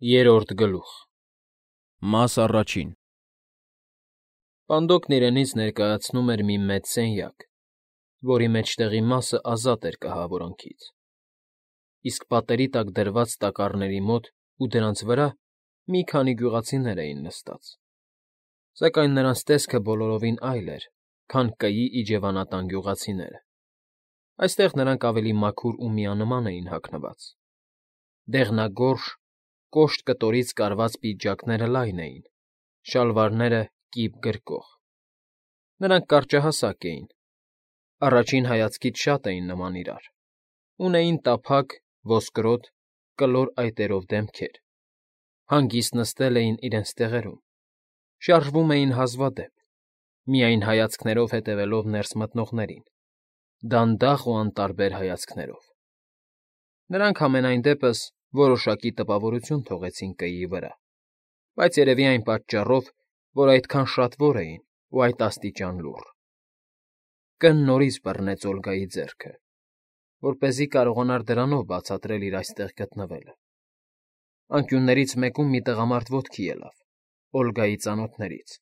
Երրորդ գլուխ։ Մաս առաջին։ Պանդոկն իրենից ներկայացնում էր մի մեծ սենյակ, որի մեջտեղի մասը ազատ էր կահավորանքից, իսկ պատերի տակ դրված տակառների մոտ ու դրանց վրա մի քանի գյուղացիներ էին նստած, սակայն նրանց տեսքը բոլորովին այլ էր, քան կեի իջևանատան գյուղացիները. այստեղ նրանք ավելի մաքուր ու միանման էին հագնված, դեղնագորշ, կոշտ կտորից կարված պիջակները լայն էին, շալվարները կիպ գրկող. նրանք կարճահասակ էին, առաջին հայացքից շատ էին նման իրար, ունեին տափակ, ոսկրոտ, կլոր այտերով դեմքեր, հանգիստ նստել էին իրենց տեղերում, շարժվում էին հազվադեպ, միայն հայացքներով հետևելով ներս մտնողներին, դանդաղ ու անտարբեր հայացքներով. նրանք համենայն դեպս որոշակի տպավորություն թողեցին կեիի վրա, բայց երևի այն պատճառով, որ այդքան շատվոր էին ու այդ աստիճան լուռ. Կն նորից բռնեց Օլգայի ձեռքը, որպեսզի կարողանար դրանով բացատրել իր այստեղ գտնվելը. անկյուններից մեկում մի տղամարդ ոտքի ելավ, Օլգայի ծանոթներից,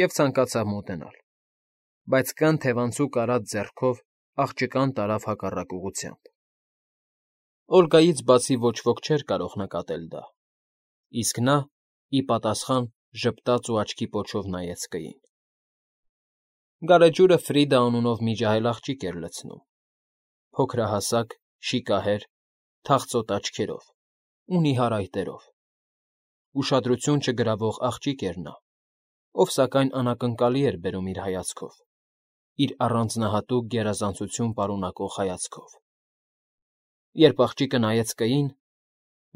և ցանկացավ մոտենալ, բայց կն թևանցուկ արած ձեռքով աղջկան տարավ հակառակ ուղղությամբ. Օլգայից բացի ոչ ոք չէր կարող նկատել դա, իսկ նա, ի պատասխան, ժպտաց ու աչքի պոչով նայեց կեին. Գարեջուրը Ֆրիդա անունով մի ջահել աղջիկ էր լցնում, փոքրահասակ, շիկահեր, թախծոտ աչքերով ու նիհար այտերով, ուշադրություն չգրավող աղջիկ էր նա, ով սակայն անակնկալի էր բերում իր հայացքով, իր առանձնահատուկ գերազանցություն պարունակող հայացքով. երբ աղջիկը նայեց կեին,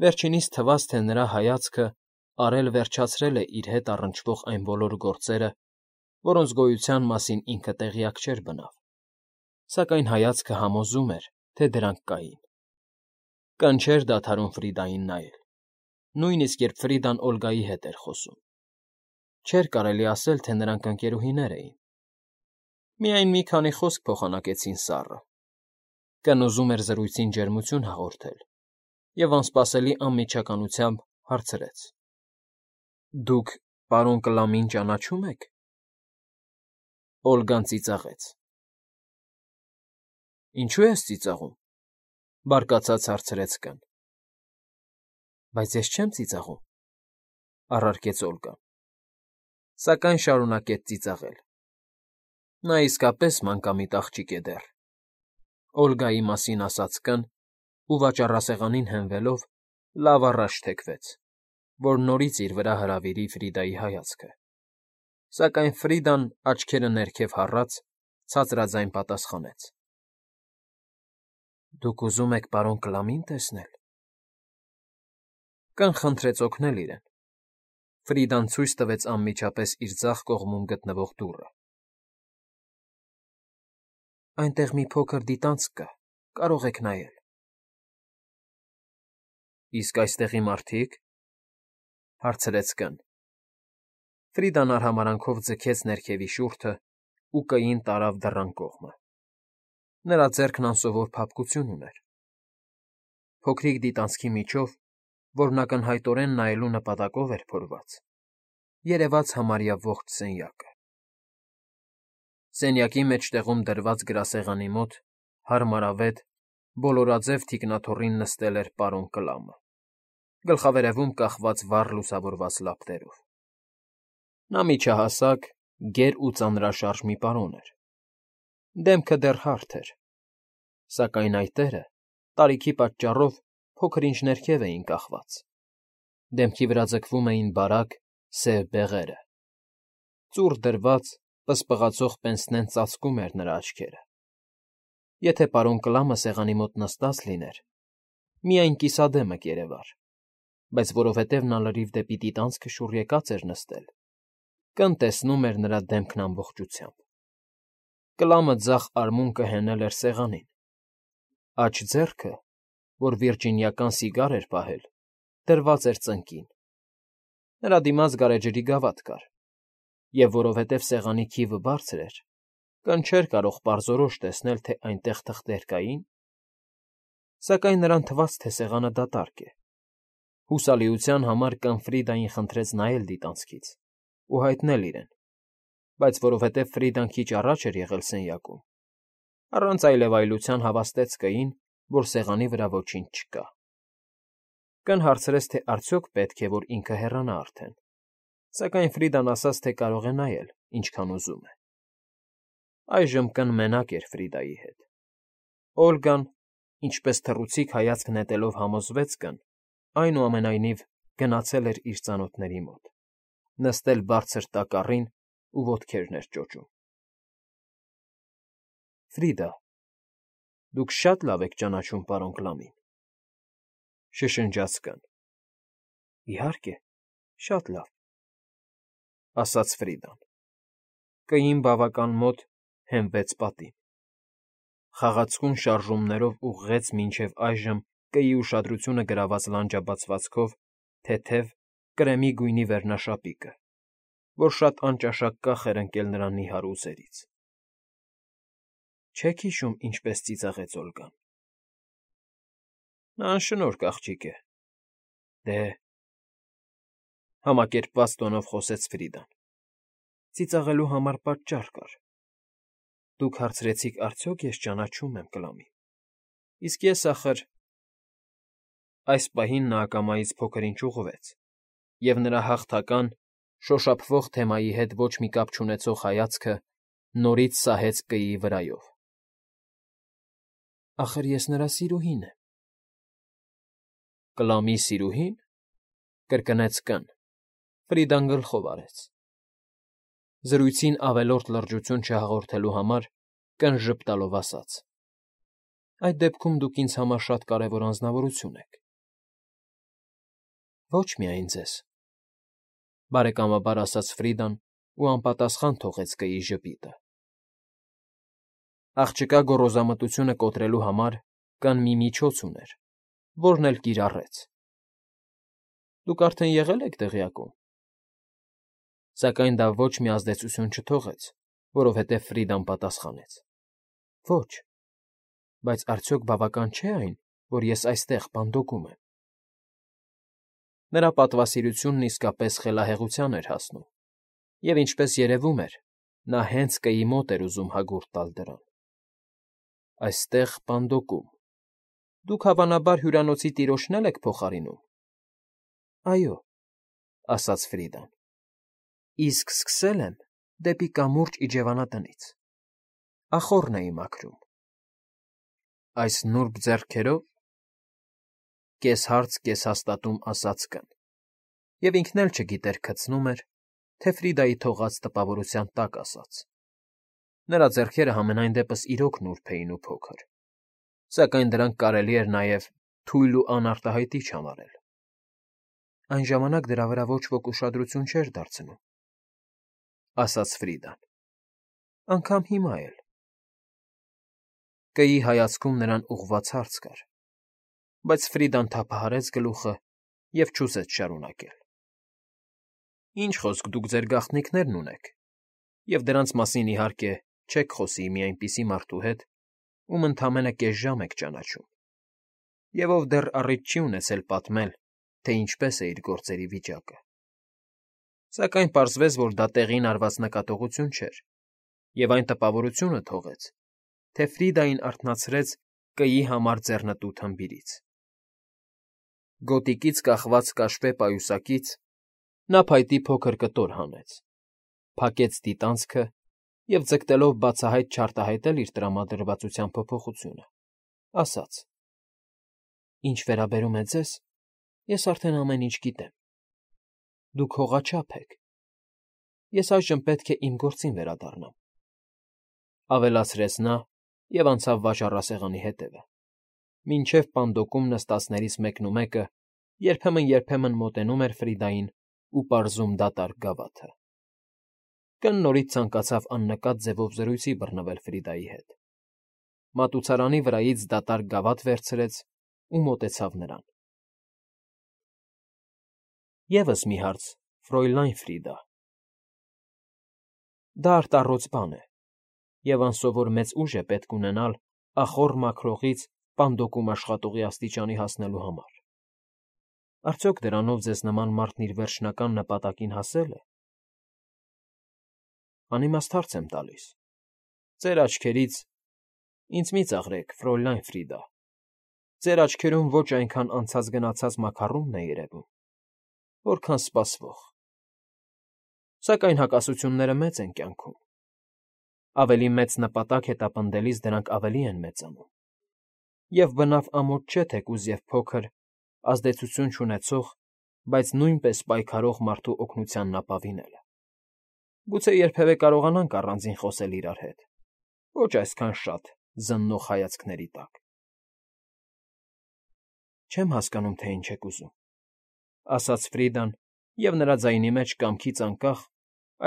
վերջինիս թվաց, թե նրա հայացքը արել վերջացրել է իր հետ առնչվող այն բոլոր գործերը, որոնց գոյության մասին ինքը տեղյակ չէր բնավ, սակայն հայացքը համոզում էր, թե դրանք կային. կն չէր դադարում Ֆրիդային նայել, նույնիսկ երբ Ֆրիդան Օլգայի հետ էր խոսում, չէր կարելի ասել, թե նրանք ընկերուհիներ էին, միայն մի քանի խոսք փոխանակեցին սառը, կն ուզում էր զրույցին ջերմություն հաղորդել և անսպասելի անմիջականությամբ հարցրեց. դուք պարոն Կլամին ճանաչո՞ւմ եք. Օլգան ծիծաղեց. ինչո՞ւ ես ծիծաղում, բարկացած հարցրեց կն. բայց ես չեմ ծիծաղում, առարկեց Օլգան, սակայն շարունակեց ծիծաղել. նա իսկապես մանկամիտ աղջիկ է դեռ, Օլգայի մասին ասաց կն ու վաճառասեղանին հենվելով լավ առաջ թեքվեց, որ նորից իր վրա հրավիրի Ֆրիդայի հայացքը, սակայն Ֆրիդան, աչքերը ներքև հառած, ցածրաձայն պատասխանեց. դուք ուզում եք պարոն Կլամի՞ն տեսնել. կն խնդրեց օգնել իրեն, Ֆրիդան ցույց տվեց անմիջապես իր ձախ կողմում գտնվող դուռը. այնտեղ մի փոքր դիտանցք կա, կարող եք նայել. իսկ այստեղի մարդի՞ք, հարցրեց կն. Ֆրիդան արհամարհանքով ձգեց ներքևի շուրթը ու կեին տարավ դռան կողմը, նրա ձեռքն անսովոր փափկություն ուներ, փոքրիկ դիտանցքի միջով, որն ակնհայտորեն նայելու նպատակով էր փորված, երևաց համարյա ողջ սենյակը. սենյակի մեջտեղում դրված գրասեղանի մոտ հարմարավետ, բոլորաձև թիկնաթոռին նստել էր պարոն Կլամը, գլխավերևում կախված վառ լուսավորված լապտերով. նա միջահասակ, գեր ու ծանրաշարժ մի պարոն էր, դեմքը դեռ հարթ էր, սակայն այտերը, տարիքի պատճառով, փոքր-ինչ ներքև էին կախված, դեմքի վրա ձգվում էին բարակ, սև բեղերը, ծուռ դրված, պսպղացող պենսնեն ծածկում էր նրա աչքերը. եթե պարոն Կլամը սեղանի մոտ նստած լիներ, միայն կիսադեմը կերևար, բայց որովհետև նա լրիվ դեպի դիտանցքը շուռ եկած էր նստել, կն տեսնում էր նրա դեմքն ամբողջությամբ. Կլամը ձախ արմունկը հենել էր սեղանին, աջ ձեռքը, որ վիրջինիական սիգար էր պահել, դրված էր ծնկին, նրա դիմաց գարեջրի գավաթ կար, և որովհետև սեղանի քիվը բարձր էր, կն չէր կարող պարզորոշ տեսնել, թե այնտեղ թղթեր կային, սակայն նրան թվաց, թե սեղանը դատարկ է, Հուսալիության համար կան Ֆրիդային խնդրեց նայել դիտանցքից ու հայտնել իրեն, բայց որովհետև Ֆրիդան քիչ առաջ էր եղել սենյակում, առանց այլևայլության հավաստեց կային, որ սեղանի վրա ոչինչ չկա։ Կն հարցրեց, թե արդյոք պետք է, որ ինքը հեռանա արդեն, սակայն Ֆրիդան ասաց, թե կարող է նայել, ինչքան ուզում է։ Այժմ կն մենակ էր Ֆրիդայի հետ։ Օլգան, ինչպես թռուցիկ հայացք նետելով համոզվեց կն, այնուամենայնիվ գնացել էր իր ծանոթների մոտ, նստել բարձր տակառին ու ոտքերն էր ճոճում։ Ֆրիդա, դուք շատ լավ եք ճանաչում պարոն Կլամին, շշնջաց կն։ Իհարկե, շատ լավ, ասաց Ֆրիդան։ Կային բավական մոտ հենվեց պատին։ Խաղացկուն շարժումներով ուղղեց մինչև այժմ կեի ուշադրությունը գրաված լանջաբացվածքով թեթև կրեմի գույնի վերնաշապիկը, որ շատ անճաշակ կախ էր ընկել նրա նիհար ուսերից։ Չեք հիշում, ինչպես ծիծաղեց Օլգան։ Նա անշնորհք աղջիկ է։ Դե, համակերպված տոնով խոսեց Ֆրիդան։ Ծիծաղելու համար պատճառ կար։ Դուք հարցրեցիք, արդյոք ես ճանաչում եմ Կլամին։ Իսկ ես, ախր… Այս պահին նա ակամայից փոքր-ինչ ուղղվեց, և նրա հաղթական, շոշափվող թեմայի հետ ոչ մի կապ չունեցող հայացքը նորից սահեց կեի վրայով։ Ախր ես նրա սիրուհին եմ։ Կլամի սիրուհի՞ն,֊ կրկնեց կն։ Ֆրիդան գլխով արեց։ Զրույցին ավելորդ լրջություն չհաղորդելու համար կն ժպտալով ասաց. Այդ դեպքում դուք ինձ համար շատ կարևոր անձնավորություն եք։ Ոչ միայն ձեզ, բարեկամաբար ասաց Ֆրիդան ու անպատասխան թողեց կեի ժպիտը։ Աղջկա գոռոզամտությունը կոտրելու համար կն մի միջոց ուներ, որն էլ կիրառեց։ Դուք արդեն եղել եք տեղյակում։ Սակայն դա ոչ մի ազդեցություն չթողեց, որովհետև Ֆրիդան պատասխանեց. Ոչ, բայց արդյոք բավական չէ այն, որ ես այստեղ պանդոկում եմ։ Նրա պատվասիրությունն իսկապես խելահեղության էր հասնում, և ինչպես երևում էր, նա հենց կեի մոտ էր ուզում հագուրդ տալ դրան։ Այստեղ պանդոկում… Դուք, հավանաբար, հյուրանոցի տիրոջն էլ եք փոխարինում։ Այո, ասաց Ֆրիդան, իսկ սկսել եմ դեպի կամուրջ իջևանատնից, ախոռն էի մաքրում։ Այս նուրբ ձեռքերո՞վ, կես֊հարց, կես֊հաստատում ասաց կն, և ինքն էլ չգիտեր քցնում էր, թե Ֆրիդայի թողած տպավորության տակ ասաց։ Նրա ձեռքերը համենայն դեպս իրոք նուրբ էին ու փոքր, սակայն դրանք կարելի էր նաև թույլ ու անարտահայտիչ համարել։ Այն ժամանակ դրա վրա ոչ ոք ուշադրություն չէր դարձնում, ասաց Ֆրիդան, անգամ հիմա էլ։ Կեի հայացքում նրան ուղղված հարց կար, բայց Ֆրիդան թափահարեց գլուխը և չուզեց շարունակել։ Ինչ խոսք, դուք ձեր գաղտնիքներն ունեք, և դրանց մասին, իհարկե, չեք խոսի մի այնպիսի մարդու հետ, ում ընդամենը կես ժամ եք ճանաչում, և ով դեռ առիթ չի ունեցել պատմել, թե ինչպես է իր գործերի վիճակը։ Սակայն պարզվեց, որ դա տեղին արված նկատողություն չէր, և այն տպավորությունը թողեց, թե Ֆրիդային արթնացրեց կեի համար ձեռնտու թմբիրից։ Գոտիկից կախված կաշվե պայուսակից նա փայտի փոքր կտոր հանեց, փակեց դիտանցքը և, ձգտելով բացահայտ չարտահայտել իր տրամադրվածության փոփոխությունը, ասաց. Ինչ վերաբերում է ձեզ, ես արդեն ամեն ինչ գիտեմ։ Դուք հողաչափ եք։ Ես այժմ պետք է իմ գործին վերադառնամ, ավելացրեց նա և անցավ վաճառասեղանի հետևը, մինչև պանդոկում նստածներից մեկնումեկը երբեմն մոտենում էր Ֆրիդային ու պարզում դատարկ գավաթը։ Կն նորից ցանկացավ աննկատ ձևով զրույցի բռնվել Ֆրիդայի հետ։ Մատուցարանի վրայից դատարկ գավաթ վերցրեց ու մոտեցավ նրան։ Եվս մի հարց, Ֆրոյլայն Ֆրիդա։ Դա արտառոց բան է, և անսովոր մեծ ուժ է պետք ունենալ ախոռ մաքրողից պանդոկում աշխատողի աստիճանի հասնելու համար։ Արդյոք դրանով ձեզ նման մարդն իր վերջնական նպատակին հասել է։ Անիմաստ հարց եմ տալիս։ Ձեր աչքերից ինձ մի ծաղրեք, Ֆրոլայն Ֆրիդա, ձեր աչքերում ոչ այնքան անցած֊գնացած մաքառումն է երևում, որքան սպասվող։ Սակայն հակասությունները մեծ են կյանքում։ Ավելի մեծ նպատակ հետապնդելիս դրանք ավելի են մեծանում։ Եվ բնավ ամոթ չէ թեկուզ և փոքր, ազդեցություն չունեցող, բայց նույնպես պայքարող մարդու օգնությանն ապավինելը։ Գուցե երբևէ կարողանանք առանձին խոսել իրար հետ, ոչ այսքան շատ զննող հայացքների տակ։ Չեմ հասկանում, թե ինչ եք ուզում, ասաց Ֆրիդան, և նրա ձայնի մեջ կամքից անկախ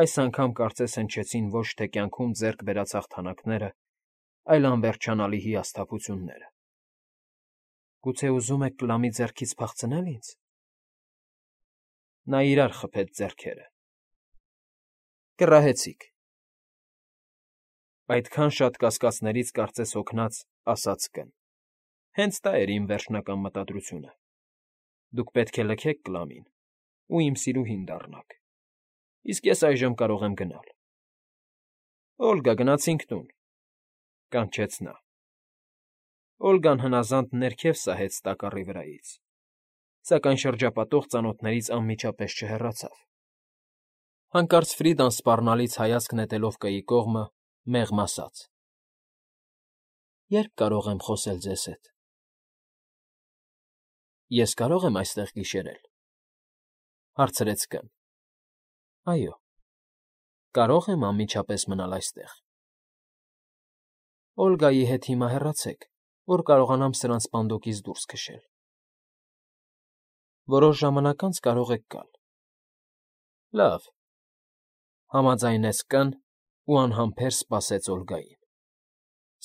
այս անգամ կարծես հնչեցին ոչ թե կյանքում ձեռք բերած հաղթանակները, այլ անվերջանալի հիասթափությունները։ Գուցե ուզում եք կլամի ձեռքից փախցնել ինձ։ Նա իրար խփեց ձեռքերը։ Կռահեցիք։ Այդքան շատ կասկածներից կարծես հոգնած ասաց կն։ Հենց դա էր իմ վերջնական մտադրությունը։ Դուք պետք է լքեք կլամին ու իմ սիրուհին դառնաք, իսկ ես այժմ կարող եմ գնալ։ Օլգա, գնացինք տուն, կանչեց նա։ Օլգան հնազանդ ներքև սահեց տակառի վրայից, սակայն շրջապատող ծանոթներից անմիջապես չհեռացավ։ Հանկարծ Ֆրիդան սպառնալից հայացք նետելով կայի կողմը, մեղմ ասաց. Ե՞րբ կարող եմ խոսել ձեզ հետ։ Ես կարո՞ղ եմ այստեղ գիշերել, հարցրեց կն։ Այո, կարող եմ անմիջապես մնալ այստեղ։ Օլգայի հետ հիմա հեռացեք, որ կարողանամ սրանց պանդոկից դուրս քշել։ Որոշ ժամանակ անց կարող եք գալ։ Լավ, համաձայնեց կն ու անհամբեր սպասեց Օլգային։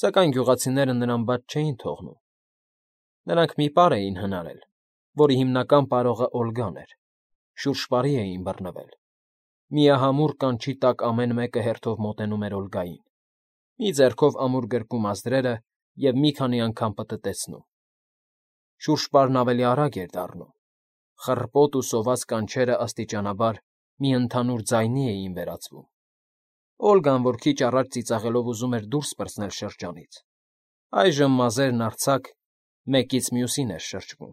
Սակայն գյուղացիները նրան բաց չէին թողնում։ Նրանք մի պար էին հնարել, որի հիմնական պարողը Օլգան էր, շուրջպարի էին բռնվել։ Միահամուռ կանչի տակ ամեն մեկը հերթով մոտենում էր Օլգային, մի ձեռքով ամուր գրկում ազդրերը և մի քանի անգամ պտտեցնում։ Շուրջպարն ավելի արագ էր դառնում։ Խռպոտ ու սոված կանչերը աստիճանաբար մի ընդհանուր ձայնի էին վերածվում։ Օլգան, որ քիչ առաջ ծիծաղելով ուզում էր դուրս պրծնել շրջանից, այժմ մազերն արձակ մեկից մյուսին էր շրջվում։